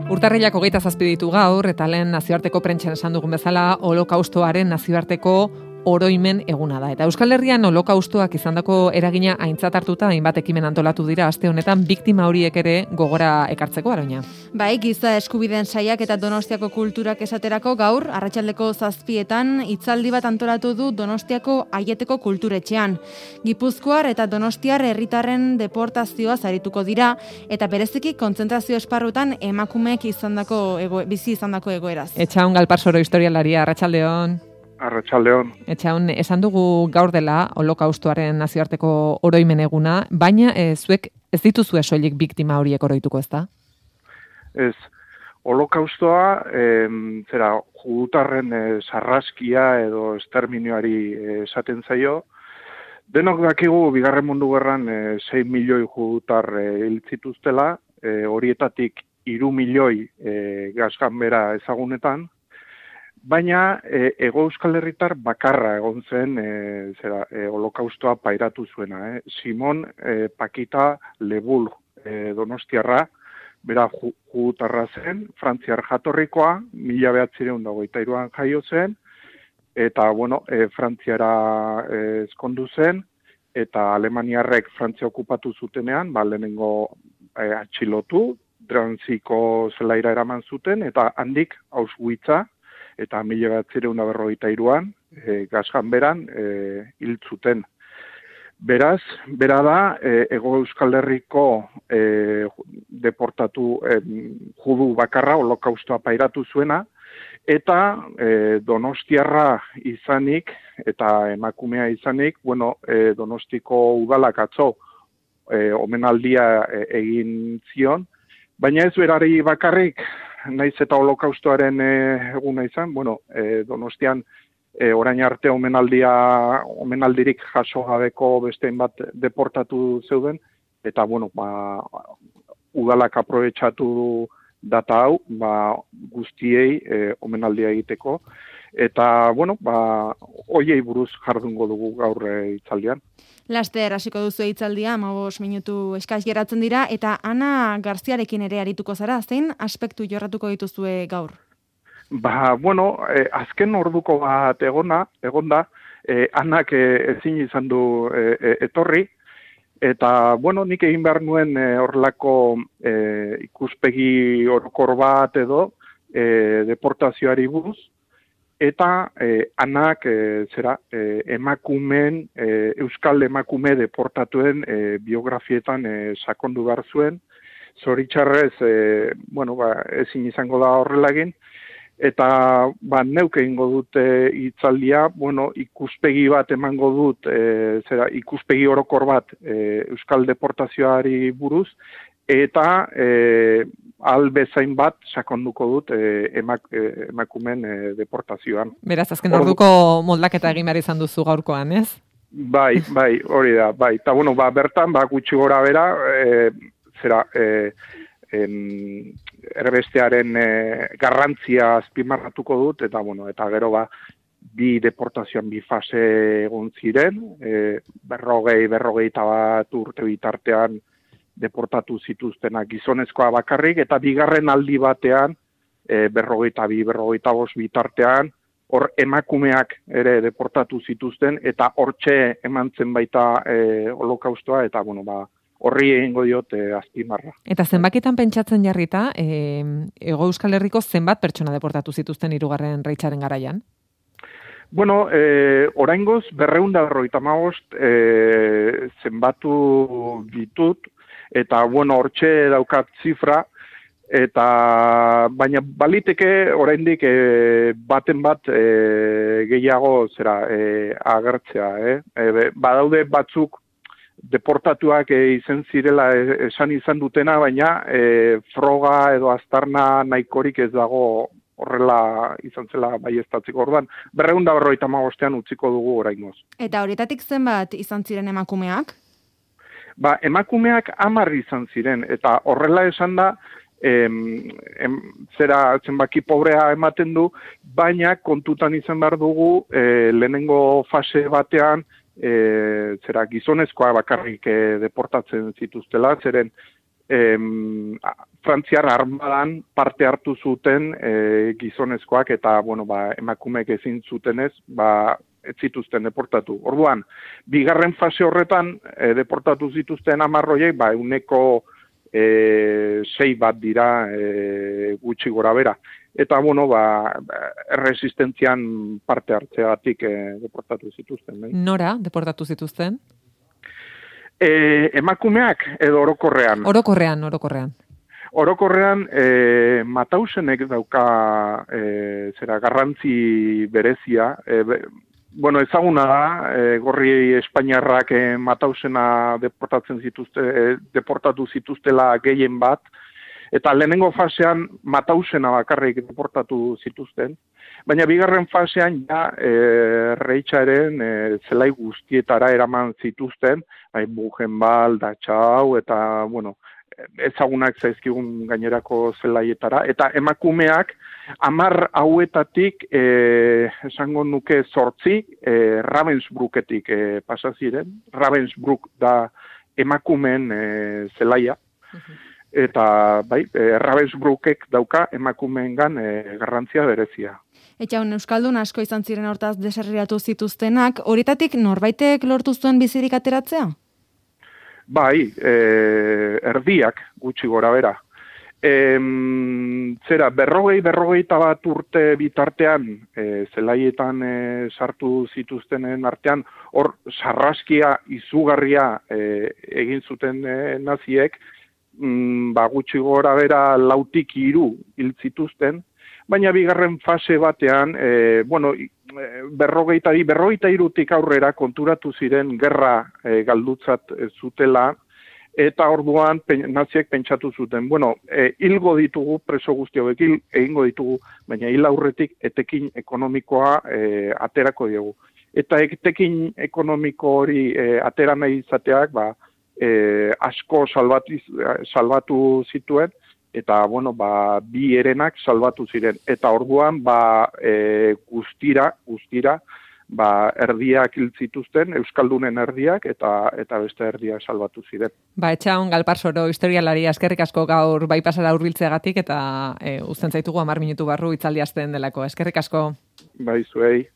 Urtarrilak 27 ditu gaur, eta lehen nazioarteko prentsan esan dugun bezala, holokaustoaren nazioarteko oroimen eguna da. Eta Euskal Herrian holokaustoak izandako eragina aintzat hartuta, hainbat ekimen antolatu dira aste honetan biktima horiek ere gogora ekartzeko, Aroina. Bai, giza eskubideen saiak eta Donostiako kulturak esaterako gaur, arratsaldeko 7etan, hitzaldi bat antolatu du Donostiako Aieteko kulturetxean. Gipuzkoar eta Donostiar herritarren deportazioa arituko dira, eta bereziki kontzentrazio esparrutan emakumeek bizi izandako egoeraz. Etxaun Galparsoro historialaria, arratsaldeon. Arratsaldeon. Etxaun, esan dugu gaur dela holokaustoaren nazioarteko oroimen eguna, baina zuek ez dituzue soilik biktima horiek oroituko, ezta? Ez, holokaustoa judutarren sarraskia edo esterminioari esaten zaio. Denok dakigu Bigarren Mundu Gerran 6 milioi judutar hil zituztela, horietatik 3 milioi gasganbera ezagunetan. Baina Hego Euskal Herritar bakarra egon zen holokaustoa pairatu zuena. Simon Pakita Lebul Donostiarra, bera judutarra zen, Frantziar jatorrikoa, 1923an jaio zen, eta Frantziara ezkondu zen, eta Alemaniarrek Frantzia okupatu zutenean, lehenengo atxilotu, Dranziko zelaira eraman zuten, eta handik Auschwitza, eta 1943an gasganberan hil zuten. Beraz, bera da, Hego Euskal Herriko deportatu judu bakarra holokaustoa pairatu zuena, eta Donostiarra izanik, eta emakumea izanik, Donostiko udalak atzo omenaldia egin zion, baina ez berari bakarrik, naiz eta holokaustoaren eguna izan, Donostian orain arte omenaldirik jaso gabeko besteen bat deportatu zeuden, eta udalak aprobetxatu data hau, guztiei omenaldia egiteko, eta hoiei buruz jardungo dugu gaur hitzaldian. Laster hasiko duzu hitzaldia, 15 minutu eskas geratzen dira, eta Ana Garziarekin ere arituko zara, zein aspektu jorratuko dituzue gaur? Azken orduko bat egonda, Anak ezin izan du etorri, eta nik egin behar nuen horrelako ikuspegi orokor bat edo deportazioari buruz, eta Anak emakumeen, euskal emakume deportatuen biografietan sakondu behar zuen. Zoritxarrez, ezin izango da horrela egin, eta neuk egingo dut hitzaldia, ikuspegi bat emango dut, ikuspegi orokor bat euskal deportazioari buruz, eta bezain bat sakonduko dut emakumen deportazioan. Beraz, azken orduko moldaketa egin behar izan duzu gaurkoan, ez? Bai, hori da, bai. Eta bertan, gutxi gora bera, erbestearen garrantzia azpimarratuko dut, eta gero bi deportazioan bi fase egon ziren, 40-41 urte bitartean deportatu zituztenak gizonezkoa bakarrik, eta bigarren aldi batean, 42-45 bitartean, hor emakumeak ere deportatu zituzten, eta hortxe eman zen baita holokaustoa, eta horri egingo diot azpimarra. Eta zenbakitan pentsatzen jarrita, Hego Euskal Herriko zenbat pertsona deportatu zituzten 3. Reitzaren garaian? Oraingoz 255 zenbatu ditut, eta hortxe daukat zifra, baina baliteke oraindik baten bat gehiago agertzea. Badaude batzuk deportatuak izan zirela esan izan dutena, baina froga edo aztarna nahikorik ez dago horrela izan zela baieztatzeko. Orduan, 255 utziko dugu oraingoz. Eta horietatik zenbat izan ziren emakumeak? Emakumeak 10 izan ziren, eta horrela esan da, zenbaki pobrea ematen du, baina kontutan izan behar dugu lehenengo fase batean gizonezkoa bakarrik deportatzen zituztela, zeren Frantziar armadan parte hartu zuten gizonezkoak eta emakumeek ezin zutenez, ez zituzten deportatu. Orduan, bigarren fase horretan deportatu zituzten 10 horiek, ehuneko 6 bat dira gutxi gora bera. Eta, erresistentzian parte hartzeagatik deportatu zituzten. Nora deportatu zituzten? Emakumeak edo orokorrean? Orokorrean. Orokorrean, Matausenek dauka garrantzi berezia. Ezaguna da, gorri espainiarrak Matausena deportatu zituztela gehien bat, eta lehenengo fasean Matausena bakarrik deportatu zituzten, baina bigarren fasean Reitxaren zelai guztietara eraman zituzten, Buchenwald, Dachau, eta, ezagunak zaizkigun gainerako zelaietara, eta emakumeak 10 hauetatik, esango nuke 8, Ravensbrücketik pasa ziren. Ravensbrück da emakumeen zelaia, eta Ravensbrückek dauka emakumeengan garrantzia berezia. Etxaun, Euskaldun asko izan ziren hortaz deserriratu zituztenak, horietatik norbaitek lortu zuen bizirik ateratzea? Bai, erdiak gutxi gora bera. 40 bat urte bitartean, zelaietan sartu zituztenen artean, hor sarraskia izugarria egin zuten naziek, gutxi gora bera 4-3 hil zituzten, baina bigarren fase batean, 43tik aurrera konturatu ziren gerra galdutzat zutela, eta orduan naziek pentsatu zuten, hilgo ditugu, preso guzti hauek egingo ditugu, baina hil aurretik etekin ekonomikoa aterako diegu. Eta etekin ekonomiko hori atera nahi izateak, asko salbatu zituen, eta, 2 herenak salbatu ziren. Eta orduan, guztira, erdiak hil zituzten, Euskaldunen erdiak, eta beste erdiak salbatu ziren. Etxaun, Galparsoro, historialaria, eskerrik asko gaur bai pasara hurbiltzeagatik, eta uzten zaitugu 10 minutu barru hitzaldi hasten delako. Eskerrik asko. Bai, zuei.